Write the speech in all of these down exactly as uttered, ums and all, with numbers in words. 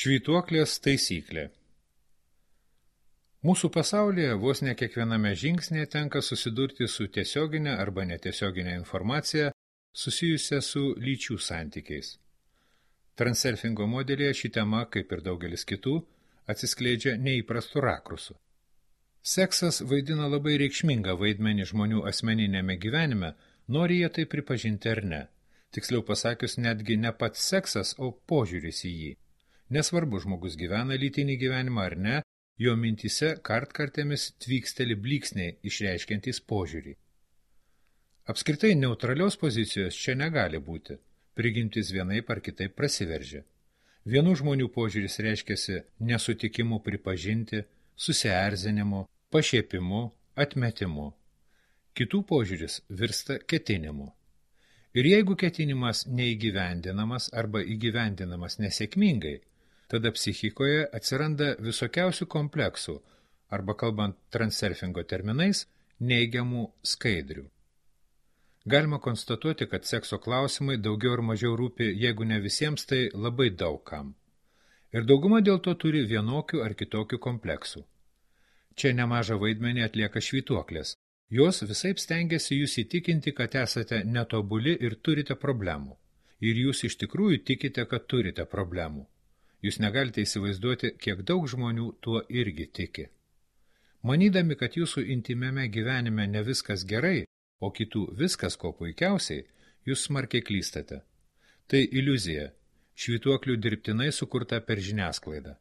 Švytuoklės taisyklė. Mūsų pasaulyje vos ne kiekviename žingsnėje tenka susidurti su tiesioginė arba netiesioginė informacija susijusia su lyčių santykiais. Transurfingo modelyje ši tema, kaip ir daugelis kitų, atsiskleidžia neįprastų rakursų. Seksas vaidina labai reikšmingą vaidmenį žmonių asmeninėme gyvenime, nori jie tai pripažinti ar ne. Tiksliau pasakius, netgi ne pats seksas, o požiūris į jį. Nesvarbu, žmogus gyvena lytinį gyvenimą ar ne, jo mintyse kartkartėmis tvyksteli blyksniai išreiškiantys požiūrį. Apskritai neutralios pozicijos čia negali būti, prigimtis vienaip ar kitaip prasiveržia. Vienų žmonių požiūris reiškiasi nesutikimu pripažinti, susierzinimu, pašiepimu, atmetimu. Kitų požiūris virsta ketinimu. Ir jeigu ketinimas neįgyvendinamas arba įgyvendinamas nesėkmingai, tada psichikoje atsiranda visokiausių kompleksų, arba kalbant transurfingo terminais, neigiamų skaidrių. Galima konstatuoti, kad sekso klausimai daugiau ar mažiau rūpi, jeigu ne visiems, tai labai daug kam. Ir dauguma dėl to turi vienokių ar kitokių kompleksų. Čia nemažą vaidmenį atlieka švytuoklės. Jos visaip stengiasi jūs įtikinti, kad esate netobuli ir turite problemų. Ir jūs iš tikrųjų tikite, kad turite problemų. Jūs negalite įsivaizduoti, kiek daug žmonių tuo irgi tiki. Manydami, kad jūsų intymiame gyvenime ne viskas gerai, o kitų viskas ko puikiausiai, jūs smarkiai klystate. Tai iliuzija, švytuoklių dirbtinai sukurta per žiniasklaidą.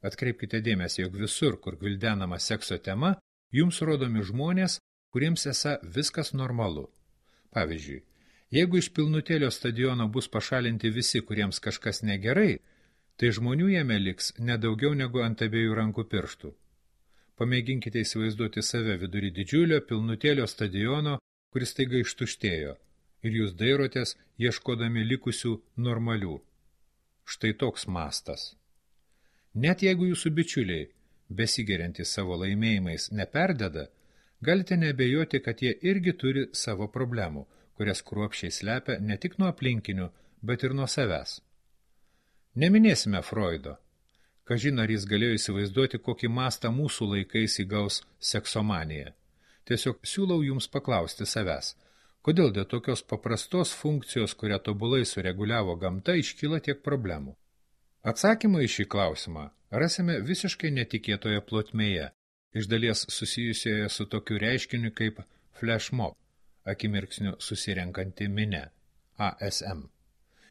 Atkreipkite dėmesį, jog visur, kur gvildenama sekso tema, jums rodomi žmonės, kuriems esą viskas normalu. Pavyzdžiui, jeigu iš pilnutėlio stadiono bus pašalinti visi, kuriems kažkas negerai, tai žmonių jame liks nedaugiau negu ant abiejų rankų pirštų. Pamėginkite įsivaizduoti save vidury didžiulio pilnutėlio stadiono, kuris taiga ištuštėjo, ir jūs dairotės, ieškodami likusių normalių. Štai toks mastas. Net jeigu jūsų bičiuliai, besigeriantys savo laimėjimais, neperdeda, galite neabejoti, kad jie irgi turi savo problemų, kurias kruopščiai slepia ne tik nuo aplinkinių, bet ir nuo savęs. Neminėsime Freudo. Kažin ar jis galėjo įsivaizduoti, kokį mastą mūsų laikais įgaus seksomanija. Tiesiog siūlau jums paklausti savęs, kodėl dėl tokios paprastos funkcijos, kurią tobulai sureguliavo gamta, iškyla tiek problemų. Atsakymą į šį klausimą rasime visiškai netikėtoje plotmėje, iš dalies susijusioje su tokiu reiškiniu kaip flash mob, akimirksniu susirenkanti minia, A S M.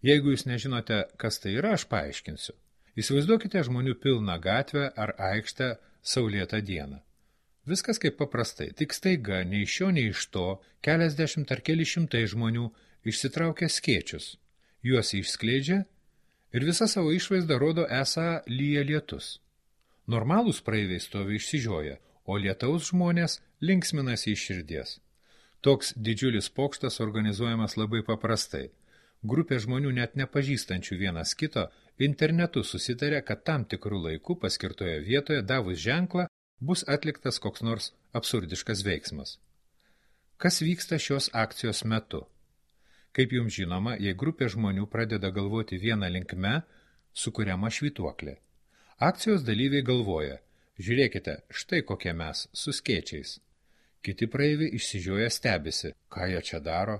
Jeigu jūs nežinote, kas tai yra, aš paaiškinsiu. Įsivaizduokite žmonių pilną gatvę ar aikštę saulėtą dieną. Viskas kaip paprastai, tik staiga, nei iš šio, nei iš to, keliasdešimt ar keli šimtai žmonių išsitraukia skėčius, juos išskleidžia ir visa savo išvaizdą rodo esą lyja lietus. Normalūs praeiviai stovi išsižioję, o lietaus žmonės linksminasi iš širdies. Toks didžiulis pokštas organizuojamas labai paprastai. Grupė žmonių net nepažįstančių vienas kito internetu susitarė, kad tam tikrų laikų paskirtoje vietoje davus ženklą bus atliktas koks nors absurdiškas veiksmas. Kas vyksta šios akcijos metu? Kaip jums žinoma, jei grupė žmonių pradeda galvoti vieną linkme, sukuriama švytuoklė. Akcijos dalyviai galvoja, žiūrėkite, štai kokie mes, su skėčiais. Kiti praeiviai išsižioję stebisi, ką jie čia daro.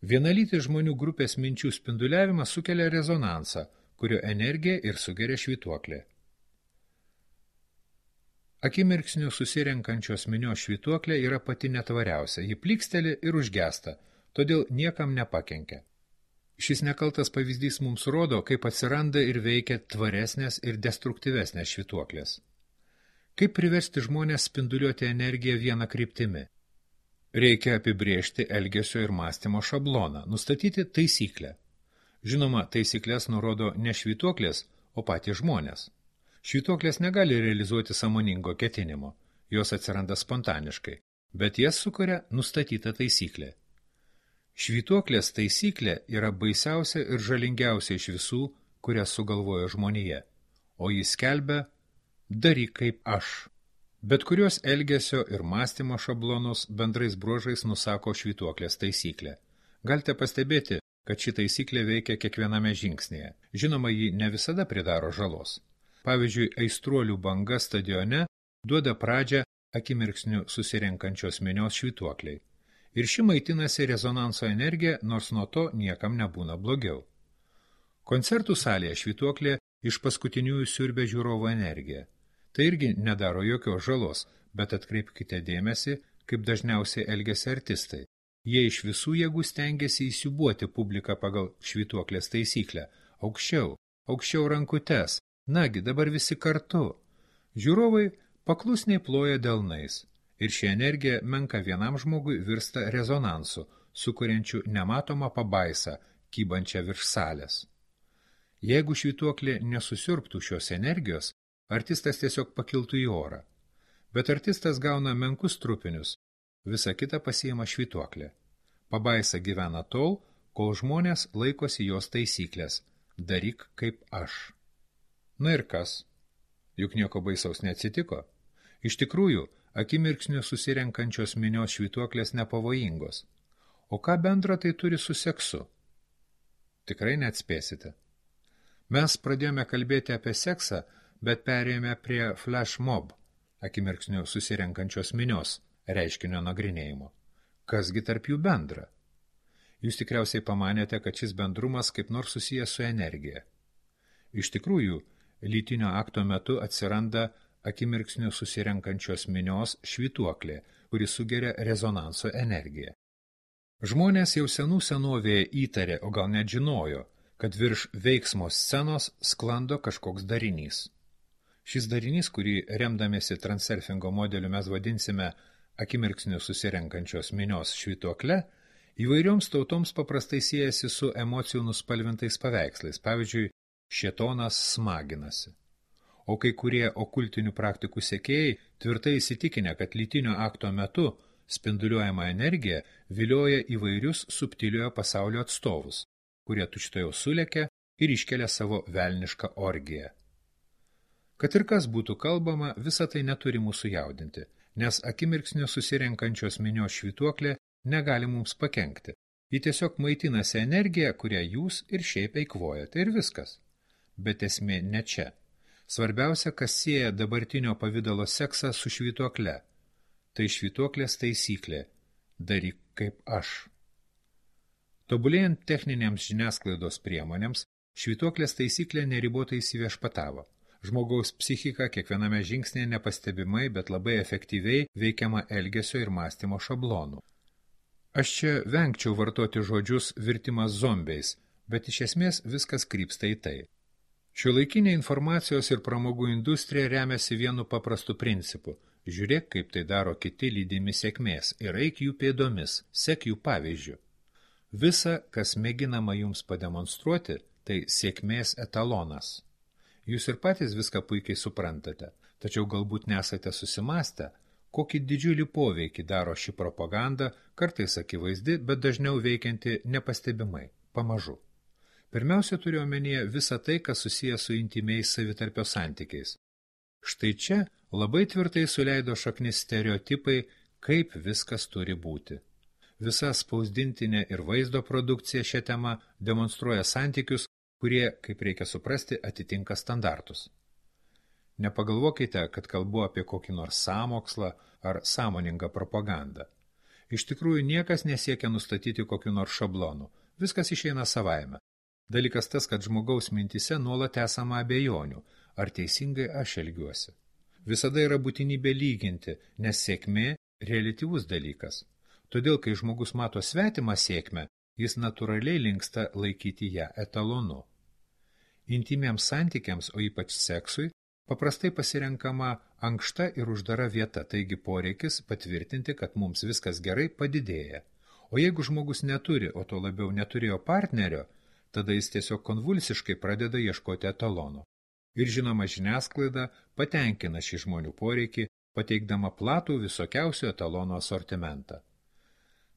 Vienalytis žmonių grupės minčių spinduliavimas sukelia rezonansą, kurio energiją ir sugeria švytuoklė. Akimirksniu susirenkančios minios švytuoklė yra pati netvariausia, ji plyksteli ir užgesta, todėl niekam nepakenkia. Šis nekaltas pavyzdys mums rodo, kaip atsiranda ir veikia tvaresnės ir destruktyvesnės švytuoklės. Kaip priversti žmonės spinduliuoti energiją vieną kryptimi? Reikia apibrėžti elgesio ir mąstymo šabloną, nustatyti taisyklę. Žinoma, taisyklės nurodo ne švytuoklės, o patys žmonės. Švytuoklės negali realizuoti sąmoningo ketinimo, jos atsiranda spontaniškai, bet jas sukuria nustatyta taisyklė. Švytuoklės taisyklė yra baisiausia ir žalingiausia iš visų, kurias sugalvojo žmonija, o jis skelbia daryk kaip aš. Bet kurios elgesio ir mąstymo šablonus bendrais bruožais nusako švytuoklės taisyklė. Galite pastebėti, kad ši taisyklė veikia kiekviename žingsnėje. Žinoma, ji ne visada pridaro žalos. Pavyzdžiui, aistruolių banga stadione duoda pradžią akimirksniu susirenkančios minios švytuokliai. Ir ši maitinasi rezonanso energija, nors nuo to niekam nebūna blogiau. Koncertų salėje švytuoklė iš paskutiniųjų siurbia žiūrovo energiją. Tai irgi nedaro jokios žalos, bet atkreipkite dėmesį, kaip dažniausiai elgiasi artistai. Jie iš visų jėgų stengiasi įsiūbuoti publiką pagal švytuoklės taisyklę. Aukščiau, aukščiau rankutes, nagi dabar visi kartu. Žiūrovai paklusniai ploja delnais. Ir ši energija menka vienam žmogui virsta rezonansu, sukuriančiu nematomą pabaisą, kybančią virš salės. Jeigu švytuoklė nesusiurbtų šios energijos, artistas tiesiog pakiltų į orą. Bet artistas gauna menkus trupinius, visa kita pasiima švytuoklė. Pabaisa gyvena tol, kol žmonės laikosi jos taisyklės. Daryk kaip aš. Na ir kas? Juk nieko baisaus neatsitiko. Iš tikrųjų, akimirksniu susirenkančios minios švytuoklės nepavojingos. O ką bendra tai turi su seksu? Tikrai neatspėsite. Mes pradėjome kalbėti apie seksą, bet perėjome prie flash mob, akimirksniu susirenkančios minios, reiškinio nagrinėjimo. Kasgi tarp jų bendra? Jūs tikriausiai pamanėte, kad šis bendrumas kaip nors susijęs su energija. Iš tikrųjų, lytinio akto metu atsiranda akimirksniu susirenkančios minios švytuoklė, kuri sugeria rezonanso energiją. Žmonės jau senų senovėje įtarė, o gal net žinojo, kad virš veiksmo scenos sklando kažkoks darinys. Šis darinys, kurį remdamėsi transurfingo modeliu mes vadinsime akimirksniu susirenkančios minios švytuokle, įvairioms tautoms paprastai siejasi su emocijų nuspalvintais paveikslais, pavyzdžiui, šėtonas smaginasi. O kai kurie okultinių praktikų sekėjai tvirtai įsitikinę, kad lytinio akto metu spinduliuojama energija vilioja įvairius subtiliojo pasaulio atstovus, kurie tučtuojau sulekia ir iškelia savo velnišką orgiją. Kad ir kas būtų kalbama, visa tai neturi mūsų jaudinti, nes akimirksniu susirenkančios minios švytuoklė negali mums pakenkti. Ji tiesiog maitinasi energiją, kurią jūs ir šiaip eikvojate, ir viskas. Bet esmė ne čia. Svarbiausia, kas sieja dabartinio pavidalo seksą su švytuokle. Tai švytuoklės taisyklė. Daryk kaip aš. Tobulėjant techninėms žiniasklaidos priemonėms, švytuoklės taisyklė neribotai įsiviešpatavo. Žmogaus psichika kiekviename žingsnėje nepastebimai, bet labai efektyviai veikiama elgesio ir mąstymo šablonų. Aš čia vengčiau vartoti žodžius virtimas zombiais, bet iš esmės viskas krypsta į tai. Šiuolaikinė informacijos ir pramogų industrija remiasi vienu paprastu principu. Žiūrėk, kaip tai daro kiti lydimi sėkmės ir eik jų pėdomis, sek jų pavyzdžiu. Visa, kas mėginama jums pademonstruoti, tai sėkmės etalonas. Jūs ir patys viską puikiai suprantate, tačiau galbūt nesate susimastę, kokį didžiulį poveikį daro ši propaganda, kartais akivaizdi, bet dažniau veikianti nepastebimai, pamažu. Pirmiausia, turiu omenyje visą tai, kas susijęs su intimiais savitarpio santykiais. Štai čia labai tvirtai suleido šaknis stereotipai, kaip viskas turi būti. Visa spausdintinė ir vaizdo produkcija šią temą demonstruoja santykius, kurie, kaip reikia suprasti, atitinka standartus. Nepagalvokite, kad kalbu apie kokį nors sąmokslą ar sąmoningą propagandą. Iš tikrųjų, niekas nesiekia nustatyti kokiu nors šablonu. Viskas išeina savaime. Dalykas tas, kad žmogaus mintise nuolat esama abejonių, ar teisingai aš elgiuosi. Visada yra būtinybė lyginti, nes sėkmė reliatyvus dalykas. Todėl, kai žmogus mato svetimą sėkmę, jis natūraliai linksta laikyti ją etalonu. Intimiems santykiams, o ypač seksui, paprastai pasirenkama ankšta ir uždara vieta, taigi poreikis patvirtinti, kad mums viskas gerai, padidėja. O jeigu žmogus neturi, o to labiau neturėjo partnerio, tada jis tiesiog konvulsiškai pradeda ieškoti etalono. Ir žinoma, žiniasklaida patenkina šį žmonių poreikį, pateikdama platų visokiausių etalonų asortimentą.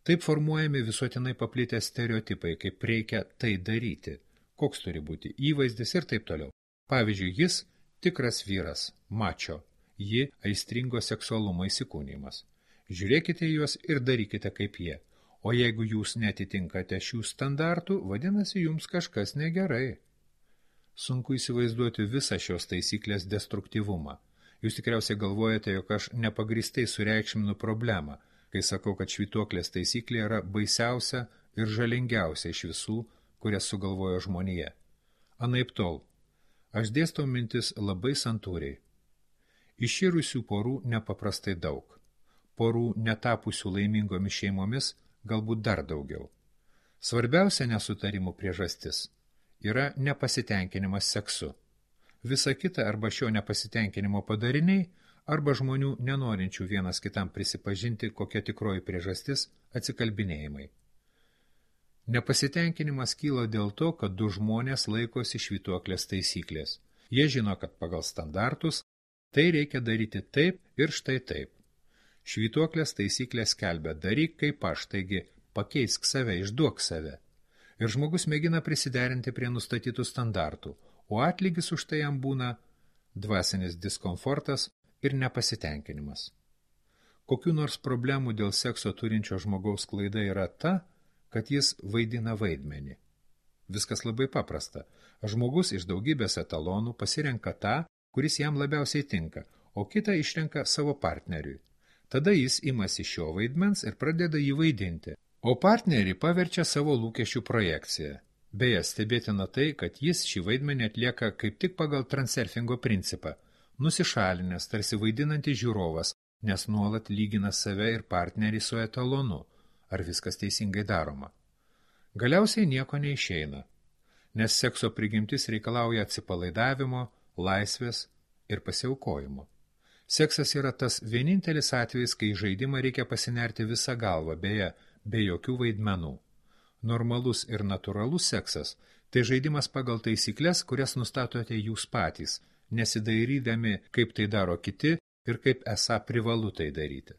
Taip formuojami visuotinai paplitę stereotipai, kaip reikia tai daryti, koks turi būti įvaizdis ir taip toliau. Pavyzdžiui, jis tikras vyras, mačo, ji aistringo seksualumo įsikūnymas. Žiūrėkite juos ir darykite kaip jie. O jeigu jūs netitinkate šių standartų, vadinasi, jums kažkas negerai. Sunku įsivaizduoti visą šios taisyklės destruktyvumą. Jūs tikriausiai galvojate, jog aš nepagristai sureikšminu problemą, kai sakau, kad švytuoklės taisyklė yra baisiausia ir žalingiausia iš visų, kurias sugalvojo žmonija. Anaiptol, aš dėstau mintis labai santūriai. Iširusių porų nepaprastai daug. Porų netapusių laimingomis šeimomis galbūt dar daugiau. Svarbiausia nesutarimų priežastis yra nepasitenkinimas seksu. Visa kita arba šio nepasitenkinimo padariniai, arba žmonių nenorinčių vienas kitam prisipažinti, kokia tikroji priežastis atsikalbinėjimai. Nepasitenkinimas kyla dėl to, kad du žmonės laikosi švytuoklės taisyklės. Jie žino, kad pagal standartus tai reikia daryti taip ir štai taip. Švytuoklės taisyklės skelbia daryk kaip aš, taigi pakeisk save, išduok save. Ir žmogus mėgina prisiderinti prie nustatytų standartų, o atlygis už tai jam būna dvasinis diskomfortas ir nepasitenkinimas. Kokių nors problemų dėl sekso turinčio žmogaus klaida yra ta, kad jis vaidina vaidmenį. Viskas labai paprasta. Žmogus iš daugybės etalonų pasirenka tą, kuris jam labiausiai tinka, o kitą išrenka savo partneriui. Tada jis imasi šio vaidmens ir pradeda jį vaidinti, o partnerį paverčia savo lūkesčių projekciją. Beje, stebėtina tai, kad jis šį vaidmenį atlieka kaip tik pagal transurfingo principą, nusišalinęs, tarsi vaidinantis žiūrovas, nes nuolat lygina save ir partnerį su etalonu, ar viskas teisingai daroma. Galiausiai nieko neišeina, nes sekso prigimtis reikalauja atsipalaidavimo, laisvės ir pasiaukojimo. Seksas yra tas vienintelis atvejis, kai žaidimą reikia pasinerti visą galvą, beje, be jokių vaidmenų. Normalus ir natūralus seksas – tai žaidimas pagal taisyklės, kurias nustatote jūs patys, nesidairydami, kaip tai daro kiti ir kaip esą privalu tai daryti.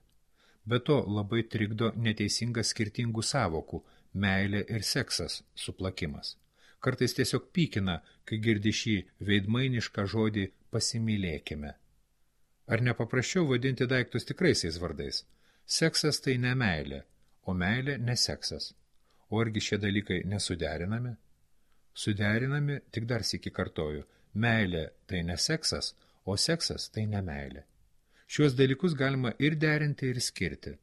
Be to labai trikdo neteisingas skirtingų savokų – meilė ir seksas – suplakimas. Kartais tiesiog pykina, kai girdi šį veidmainišką žodį pasimylėkime. Ar nepaprasčiau vadinti daiktus tikraisiais vardais? Seksas tai ne meilė, o meilė ne seksas. O argi šie dalykai nesuderinami? Suderinami, tik dar sykį kartoju, meilė tai ne seksas, o seksas tai ne meilė. Šiuos dalykus galima ir derinti, ir skirti,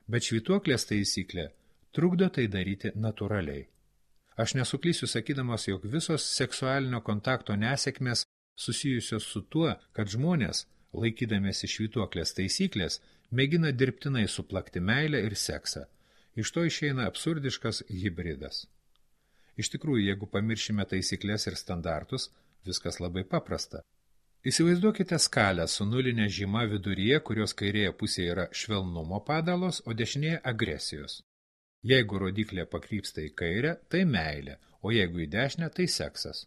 bet švytuoklės taisyklė trukdo tai daryti natūraliai. Aš nesuklysiu sakydamas, jog visos seksualinio kontakto nesėkmės susijusios su tuo, kad žmonės, laikydamiesi švytuoklės taisyklės, mėgina dirbtinai suplakti meilę ir seksą. Iš to išeina absurdiškas hibridas. Iš tikrųjų, jeigu pamiršime taisyklės ir standartus, viskas labai paprasta. Įsivaizduokite skalę su nulinė žyma viduryje, kurios kairėje pusėje yra švelnumo padalos, o dešinėje agresijos. Jeigu rodiklė pakrypsta į kairę, tai meilė, o jeigu į dešinę, tai seksas.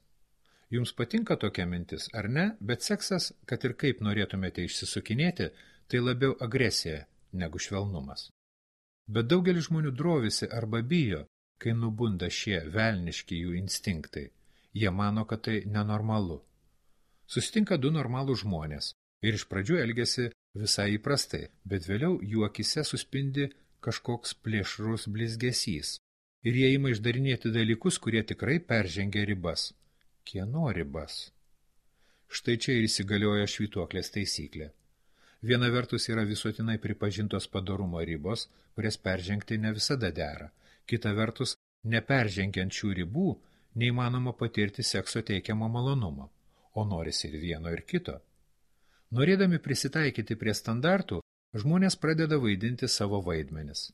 Jums patinka tokia mintis, ar ne? Bet seksas, kad ir kaip norėtumėte išsisukinėti, tai labiau agresija negu švelnumas. Bet daugelis žmonių drovisi arba bijo, kai nubunda šie velniški jų instinktai. Jie mano, kad tai nenormalu. Susitinka du normalūs žmonės ir iš pradžių elgiasi visai įprastai, bet vėliau jų akise suspindi kažkoks plėšrus blizgesys. Ir jie ima išdarinėti dalykus, kurie tikrai peržengia ribas. Kieno ribas? Štai čia ir įsigalioja švytuoklės taisyklė. Viena vertus yra visuotinai pripažintos padorumo ribos, kurias peržengti ne visada dera. Kita vertus, neperžengiant šių ribų, neįmanoma patirti sekso teikiamo malonumo, o norisi ir vieno ir kito. Norėdami prisitaikyti prie standartų, žmonės pradeda vaidinti savo vaidmenis.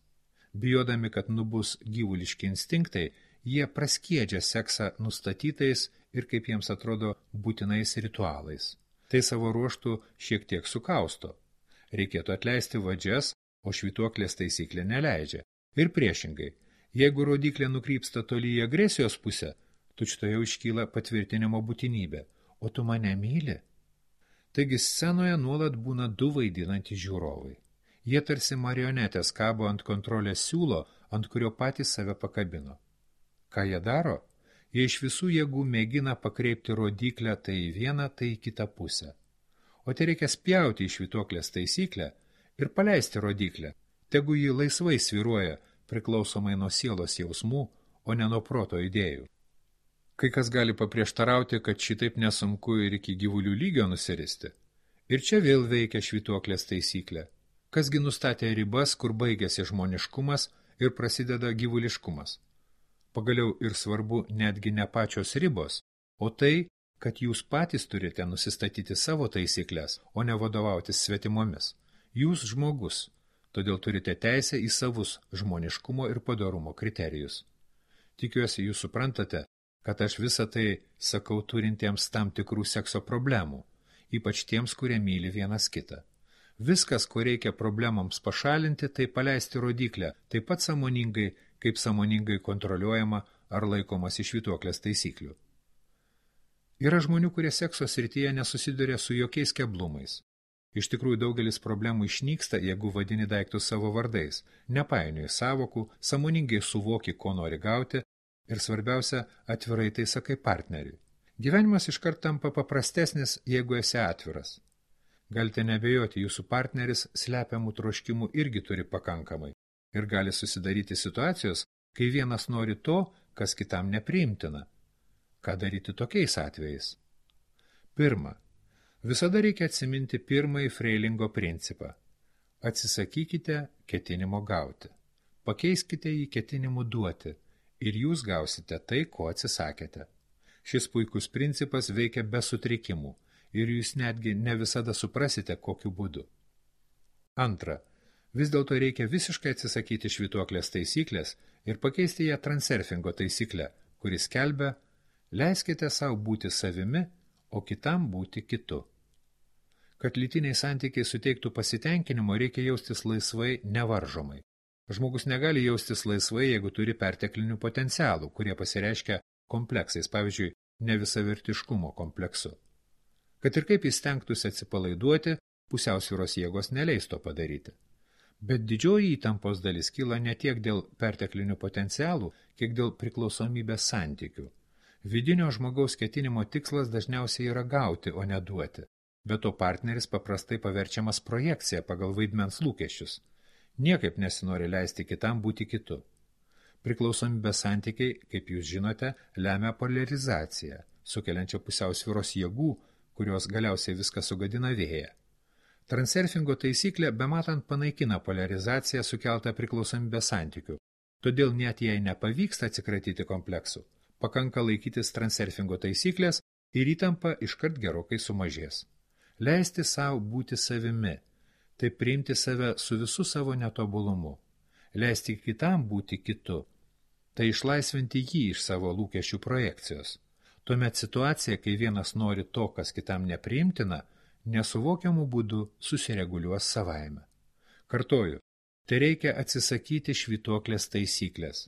Bijodami, kad nubus gyvuliški instinktai, jie praskiedžia seksą nustatytais ir, kaip jiems atrodo, būtinais ritualais. Tai savo ruoštų šiek tiek sukausto. Reikėtų atleisti vadžias, o švytuoklės taisyklė neleidžia. Ir priešingai, jeigu rodiklė nukrypsta toli į agresijos pusę, tučtoje iškyla patvirtinimo būtinybė, o tu mane myli? Taigi scenoje nuolat būna du vaidinantys žiūrovai. Jie tarsi marionetės kabo ant kontrolės siūlo, ant kurio patys save pakabino. Ką jie daro? Jie iš visų jėgų mėgina pakreipti rodiklę tai į vieną, tai į kitą pusę. O tai reikia spjauti į švytuoklės taisyklę ir paleisti rodiklę, tegu ji laisvai sviruoja priklausomai nuo sielos jausmų, o ne nuo proto idėjų. Kai kas gali paprieštarauti, kad šitaip nesunku ir iki gyvulių lygio nusiristi. Ir čia vėl veikia švytuoklės taisyklė. Kasgi nustatė ribas, kur baigėsi žmoniškumas ir prasideda gyvuliškumas. Pagaliau ir svarbu netgi ne pačios ribos, o tai, kad jūs patys turite nusistatyti savo taisyklės, o ne vadovautis svetimomis. Jūs žmogus, todėl turite teisę į savus žmoniškumo ir padorumo kriterijus. Tikiuosi, jūs suprantate, kad aš visą tai sakau turintiems tam tikrų sekso problemų, ypač tiems, kurie myli vienas kitą. Viskas, ko reikia problemams pašalinti, tai paleisti rodiklę, taip pat sąmoningai, kaip sąmoningai kontroliuojama ar laikomas iš švytuoklės taisyklių. Yra žmonių, kurie sekso srityje nesusiduria su jokiais keblumais. Iš tikrųjų, daugelis problemų išnyksta, jeigu vadini daiktus savo vardais, nepainioji savokų, sąmoningai suvoki, ko nori gauti ir svarbiausia, atvirai tai sakai partneriui. Gyvenimas iškart tampa paprastesnis, jeigu esi atviras. Galite nebejoti, jūsų partneris slepiamų troškimų irgi turi pakankamai ir gali susidaryti situacijos, kai vienas nori to, kas kitam nepriimtina. Ką daryti tokiais atvejais? Pirma, visada reikia atsiminti pirmąjį Freilingo principą. Atsisakykite ketinimo gauti. Pakeiskite jį ketinimu duoti ir jūs gausite tai, ko atsisakėte. Šis puikus principas veikia be sutrikimų ir jūs netgi ne visada suprasite, kokiu būdu. Antra, vis dėlto reikia visiškai atsisakyti švytuoklės taisyklės ir pakeisti ją transurfingo taisyklę, kuris skelbia: leiskite savo būti savimi, o kitam būti kitu. Kad lytiniai santykiai suteiktų pasitenkinimo, reikia jaustis laisvai, nevaržomai. Žmogus negali jaustis laisvai, jeigu turi perteklinių potencialų, kurie pasireiškia kompleksais, pavyzdžiui, nevisavertiškumo kompleksu. Kad ir kaip jis stengtųsi atsipalaiduoti, pusiausvyros jėgos neleis to padaryti. Bet didžioji įtampos dalis kyla ne tiek dėl perteklinių potencialų, kiek dėl priklausomybės santykių. Vidinio žmogaus ketinimo tikslas dažniausiai yra gauti, o ne duoti. Bet to partneris paprastai paverčiamas projekcija pagal vaidmens lūkesčius. Niekaip nesinori leisti kitam būti kitu. Priklausomybės santykiai, kaip jūs žinote, lemia poliarizaciją, sukeliančią pusiausvyros jėgų, kurios galiausiai viską sugadina vėją. Transurfingo taisyklė bematant panaikina poliarizaciją sukeltą priklausomybės santykių, todėl net jei nepavyksta atsikratyti kompleksų, pakanka laikytis transurfingo taisyklės ir įtampa iškart gerokai sumažės. Leisti savo būti savimi, tai priimti save su visu savo netobulumu. Leisti kitam būti kitu, tai išlaisvinti jį iš savo lūkesčių projekcijos. Tuomet situacija, kai vienas nori to, kas kitam nepriimtina, nesuvokiamų būdų susireguliuos savaime. Kartoju, tai reikia atsisakyti švytuoklės taisyklės,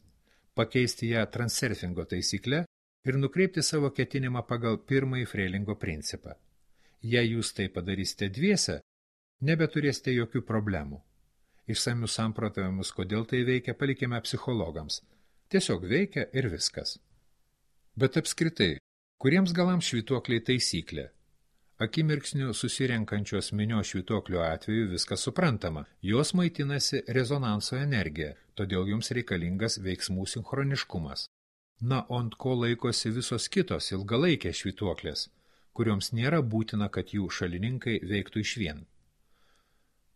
pakeisti ją transurfingo taisykle ir nukreipti savo ketinimą pagal pirmąjį Freilingo principą. Jei jūs tai padarysite dviese, nebeturėsite jokių problemų. Išsamius samprotavimus, kodėl tai veikia, palikime psichologams. Tiesiog veikia ir viskas. Bet apskritai, kuriems galams švytuokliai taisyklė? Akimirksniu susirenkančios minios švytuoklio atveju viskas suprantama. Jos maitinasi rezonanso energija, todėl jums reikalingas veiksmų sinchroniškumas. Na, o ant ko laikosi visos kitos ilgalaikės švytuoklės, kurioms nėra būtina, kad jų šalininkai veiktų išvien.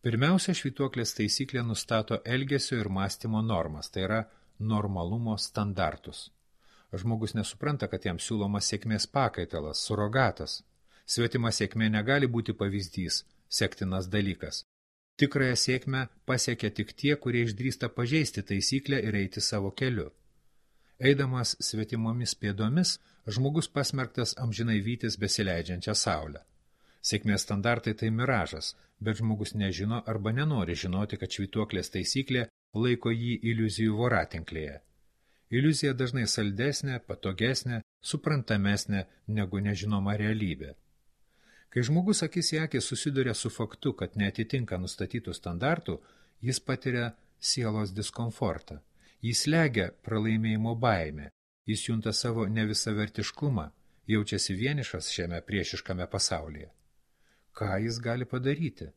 Pirmiausia, švytuoklės taisyklė nustato elgesio ir mąstymo normas, tai yra normalumo standartus. Žmogus nesupranta, kad jam siūlomas sėkmės pakaitalas, surogatas. Svetima sėkmė negali būti pavyzdys, sektinas dalykas. Tikrąją sėkmę pasiekia tik tie, kurie išdrįsta pažeisti taisyklę ir eiti savo keliu. Eidamas svetimomis pėdomis, žmogus pasmerktas amžinai vytis besileidžiančią saulę. Sėkmės standartai tai miražas, bet žmogus nežino arba nenori žinoti, kad švytuoklės taisyklė laiko jį iliuzijų voratinklėje. Iliuzija dažnai saldesnė, patogesnė, suprantamesnė negu nežinoma realybė. Kai žmogus akis į akį susiduria su faktu, kad neatitinka nustatytų standartų, jis patiria sielos diskomfortą. Jis slegia pralaimėjimo baimę, jis junta savo nevisavertiškumą, jaučiasi vienišas šiame priešiškame pasaulyje. Ką jis gali padaryti?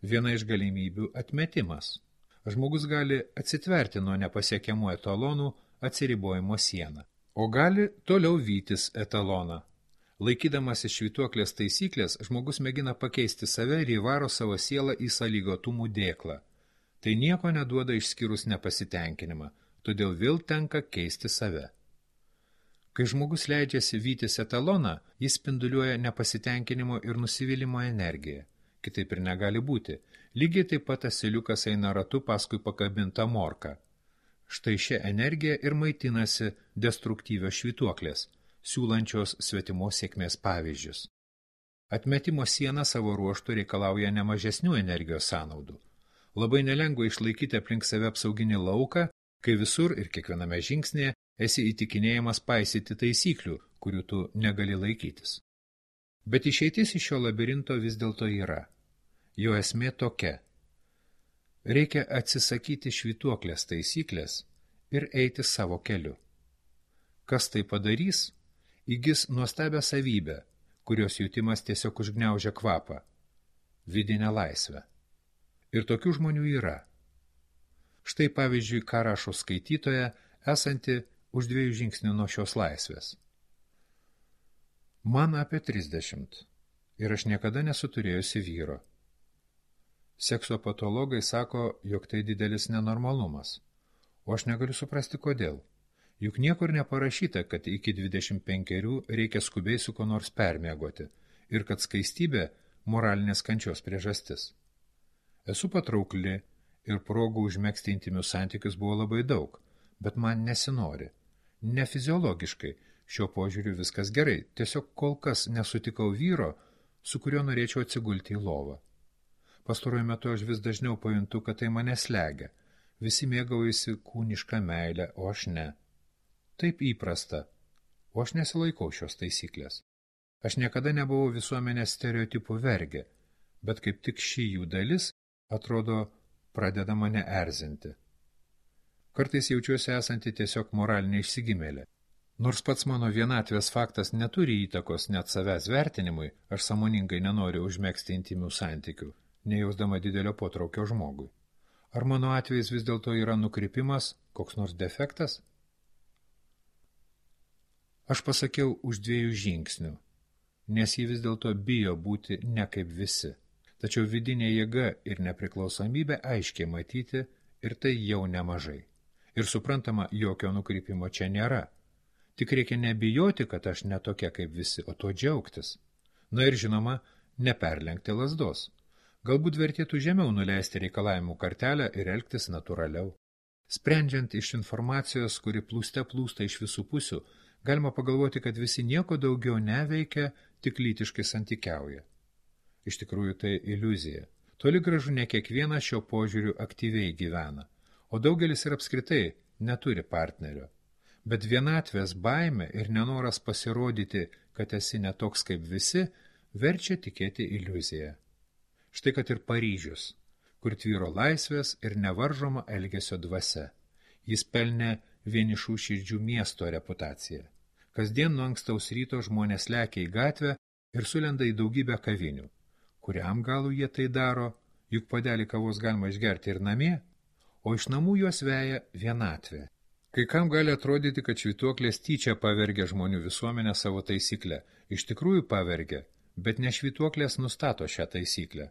Viena iš galimybių – atmetimas. Žmogus gali atsitverti nuo nepasiekiamų etalonų atsiribojimo sieną, o gali toliau vytis etaloną. Laikydamasis švytuoklės taisyklės, žmogus mėgina pakeisti save ir įvaro savo sielą į sąlygotumų dėklą. Tai nieko neduoda išskyrus nepasitenkinimą, todėl vėl tenka keisti save. Kai žmogus leidžiasi vytis etaloną, jis spinduliuoja nepasitenkinimo ir nusivylimo energiją. Kitaip ir negali būti. Lygiai taip pat asiliukas eina ratu paskui pakabintą morką. Štai šią energiją ir maitinasi destruktyvios švytuoklės, siūlančios svetimos sėkmės pavyzdžius. Atmetimo siena savo ruožtu reikalauja nemažesnių energijos sąnaudų. Labai nelengva išlaikyti aplink save apsauginį lauką, kai visur ir kiekviename žingsnėje esi įtikinėjamas paisyti taisyklių, kurių tu negali laikytis. Bet išeitis iš šio labirinto vis dėlto yra. Jo esmė tokia. Reikia atsisakyti švytuoklės taisyklės ir eiti savo keliu. Kas tai padarys, įgis nuostabią savybę, kurios jutimas tiesiog užgniaužia kvapą – vidinę laisvę. Ir tokių žmonių yra. Štai pavyzdžiui, ką rašo skaitytoja, esanti už dviejų žingsnių nuo šios laisvės. Man apie trisdešimt ir aš niekada nesu turėjusi vyro. Sekso patologai sako, jog tai didelis nenormalumas, o aš negaliu suprasti kodėl. Juk niekur neparašyta, kad iki dvidešimt penkerių reikia skubiai su ko nors permiegoti ir kad skaistybė moralinės kančios priežastis. Esu patraukli ir progų užmegzti intimius santykius buvo labai daug, bet man nesinori. Ne fiziologiškai, šio požiūriu viskas gerai, tiesiog kol kas nesutikau vyro, su kuriuo norėčiau atsigulti į lovą. Pastaruoju metu aš vis dažniau pajuntu, kad tai mane slegia. Visi mėgaujasi kūnišką meilę, o aš ne. Taip įprasta, o aš nesilaikau šios taisyklės. Aš niekada nebuvau visuomenės stereotipų vergė, bet kaip tik ši jų dalis, atrodo, pradeda mane erzinti. Kartais jaučiuosi esanti tiesiog moralinė išsigimėlė. Nors pats mano vienatvės faktas neturi įtakos net savęs vertinimui, aš sąmoningai nenoriu užmegzti intimių santykių, nejausdama didelio potraukio žmogui. Ar mano atvejis vis dėlto yra nukrypimas, koks nors defektas? Aš pasakiau už dviejų žingsnių, nes ji vis dėlto bijo būti ne kaip visi. Tačiau vidinė jėga ir nepriklausomybė aiškiai matyti ir tai jau nemažai. Ir suprantama, jokio nukrypimo čia nėra. Tik reikia nebijoti, kad aš netokia kaip visi, o tuo džiaugtis. Na ir žinoma, neperlenkti lazdos. Galbūt vertėtų žemiau nuleisti reikalavimų kartelę ir elgtis natūraliau. Sprendžiant iš informacijos, kuri plūste plūsta iš visų pusių, galima pagalvoti, kad visi nieko daugiau neveikia, tik lytiškai santykiauja. Iš tikrųjų tai iliuzija. Toli gražu ne kiekvienas šio požiūriu aktyviai gyvena, o daugelis ir apskritai neturi partnerio. Bet vienatvės baimė ir nenoras pasirodyti, kad esi netoks kaip visi, verčia tikėti iliuziją. Štai kad ir Paryžius, kur tvyro laisvės ir nevaržoma elgesio dvasia. Jis pelnė vienišų širdžių miesto reputaciją. Kasdien nuo ankstaus ryto žmonės lekia į gatvę ir sulenda į daugybę kavinių. Kuriam galų jie tai daro, juk puodelį kavos galima išgerti ir namie, o iš namų juos veja vienatvė. Kai kam gali atrodyti, kad švytuoklės tyčia pavergia žmonių visuomenę savo taisyklę. Iš tikrųjų pavergia, bet ne švytuoklės nustato šią taisyklę.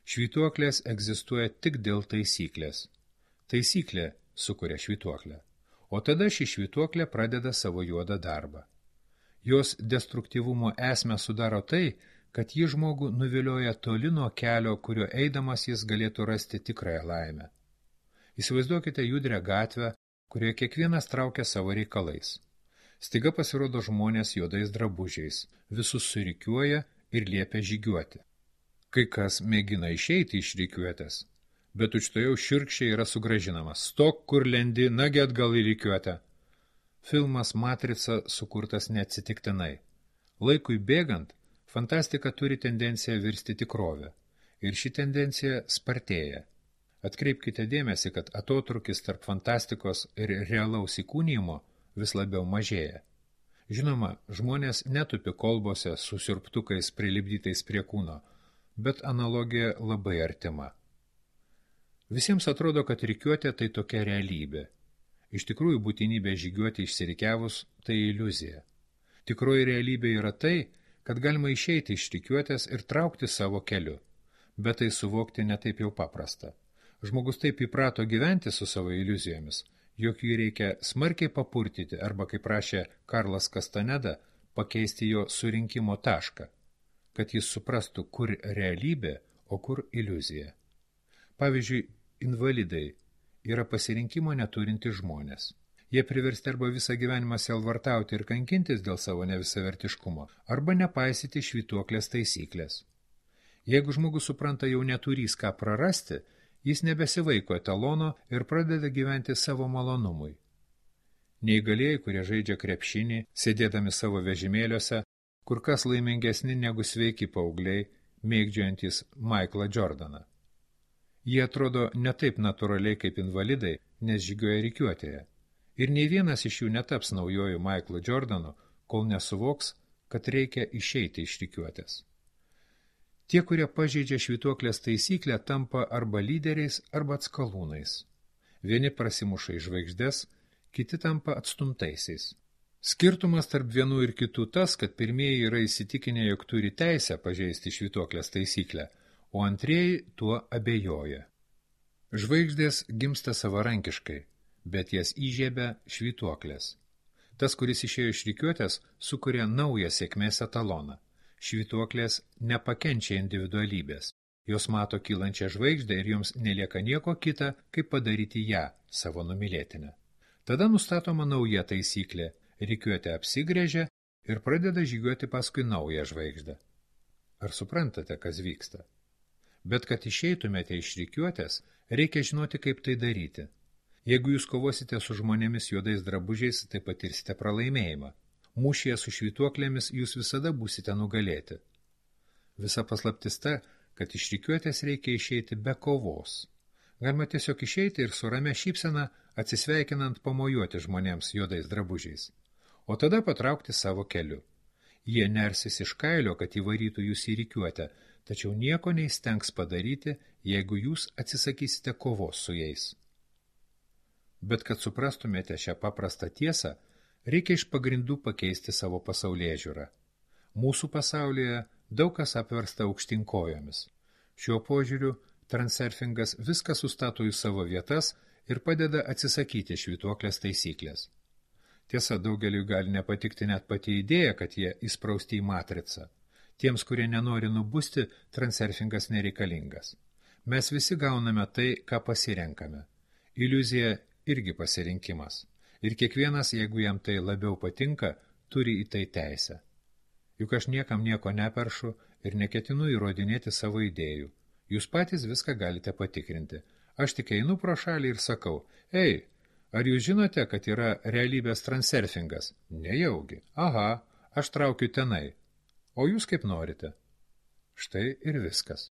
Švytuoklės egzistuoja tik dėl taisyklės. Taisyklė sukuria švytuoklę, o tada ši švytuoklė pradeda savo juodą darbą. Jos destruktyvumo esmę sudaro tai, kad ji žmogų nuvilioja toli nuo kelio, kurio eidamas jis galėtų rasti tikrąją laimę. Įsivaizduokite judrią gatvę, kurioje kiekvienas traukia savo reikalais. Staiga pasirodo žmonės juodais drabužiais, visus surikiuoja ir liepia žygiuoti. Kai kas mėgina išeiti iš rikiuotės, bet tučtojau šiurkščiai yra sugrąžinamas. Stok, kur lendi, nagi atgal į rikiuotę. Filmas Matrica sukurtas neatsitiktinai. Laikui bėgant, fantastika turi tendenciją virsti tikrovę. Ir ši tendencija spartėja. Atkreipkite dėmesį, kad atotrukis tarp fantastikos ir realaus įkūnijimo vis labiau mažėja. Žinoma, žmonės netupi kolbose su siurbtukais prilipdytais prie kūno, bet analogija labai artima. Visiems atrodo, kad rikiuotė tai tokia realybė. Iš tikrųjų, būtinybė žygiuoti išsirikiavus tai iliuzija. Tikroji realybė yra tai, kad galima išeiti iš rikiuotės ir traukti savo keliu. Bet tai suvokti netaip jau paprasta. Žmogus taip įprato gyventi su savo iliuzijomis, jog jį reikia smarkiai papurtyti arba, kaip prašė Karlas Kastaneda, pakeisti jo surinkimo tašką, kad jis suprastų, kur realybė, o kur iliuzija. Pavyzdžiui, invalidai yra pasirinkimo neturinti žmonės. Jie priversti arba visą gyvenimą sielvartauti ir kankintis dėl savo nevisavertiškumo, arba nepaisyti švytuoklės taisyklės. Jeigu žmogus supranta jau neturys ką prarasti, jis nebesivaiko etalono ir pradeda gyventi savo malonumui. Neįgalieji, kurie žaidžia krepšinį, sėdėdami savo vežimėliuose, kur kas laimingesni negu sveiki paaugliai, mėgdžiojantys Maiklą Jordaną. Jie atrodo ne taip natūraliai kaip invalidai, nes žygioja rikiuotėje. Ir nei vienas iš jų netaps naujoju Maiklu Jordanu, kol nesuvoks, kad reikia išeiti iš rikiuotės. Tie, kurie pažeidžia švytuoklės taisyklę, tampa arba lyderiais, arba atskalūnais. Vieni prasimuša į žvaigždes, kiti tampa atstumtaisiais. Skirtumas tarp vienų ir kitų tas, kad pirmieji yra įsitikinę, jog turi teisę pažeisti švytuoklės taisyklę, o antrieji tuo abejoja. Žvaigždės gimsta savarankiškai, bet jas įžiebia švytuoklės. Tas, kuris išėjo iš rikiuotės, sukuria naują sėkmės etaloną. Švytuoklės nepakenčia individualybės. Jos mato kylančią žvaigždę ir joms nelieka nieko kita, kaip padaryti ją savo numylėtinę. Tada nustatoma nauja taisyklė. Rikiuotė apsigręžia ir pradeda žygiuoti paskui naują žvaigždę. Ar suprantate, kas vyksta? Bet kad išeitumėte iš rikiuotės, reikia žinoti, kaip tai daryti. Jeigu jūs kovosite su žmonėmis juodais drabužiais, tai patirsite pralaimėjimą. Mūšyje su švytuoklėmis jūs visada būsite nugalėti. Visa paslaptis ta, kad iš rikiuotės reikia išeiti be kovos. Galima tiesiog išeiti ir su ramia šypsena atsisveikinant pamojuoti žmonėms juodais drabužiais, o tada patraukti savo keliu. Jie nersis iš kailio, kad įvarytų jūs į rikiuotę, tačiau nieko neįstengs padaryti, jeigu jūs atsisakysite kovos su jais. Bet kad suprastumėte šią paprastą tiesą, reikia iš pagrindų pakeisti savo pasaulėžiūrą. Mūsų pasaulyje daug kas apversta aukštyn kojomis. Šiuo požiūriu transurfingas viską sustato į savo vietas ir padeda atsisakyti švytuoklės taisyklės. Tiesa, daugeliui gali nepatikti net pati idėja, kad jie įsprausti į matricą. Tiems, kurie nenori nubusti, transurfingas nereikalingas. Mes visi gauname tai, ką pasirenkame. Iliuzija irgi pasirinkimas. Ir kiekvienas, jeigu jam tai labiau patinka, turi į tai teisę. Juk aš niekam nieko neperšu ir neketinu įrodinėti savo idėjų. Jūs patys viską galite patikrinti. Aš tik einu pro šalį ir sakau, ei, ar jūs žinote, kad yra realybės transurfingas? Nejaugi. Aha, aš traukiu tenai. O jūs kaip norite. Štai ir viskas.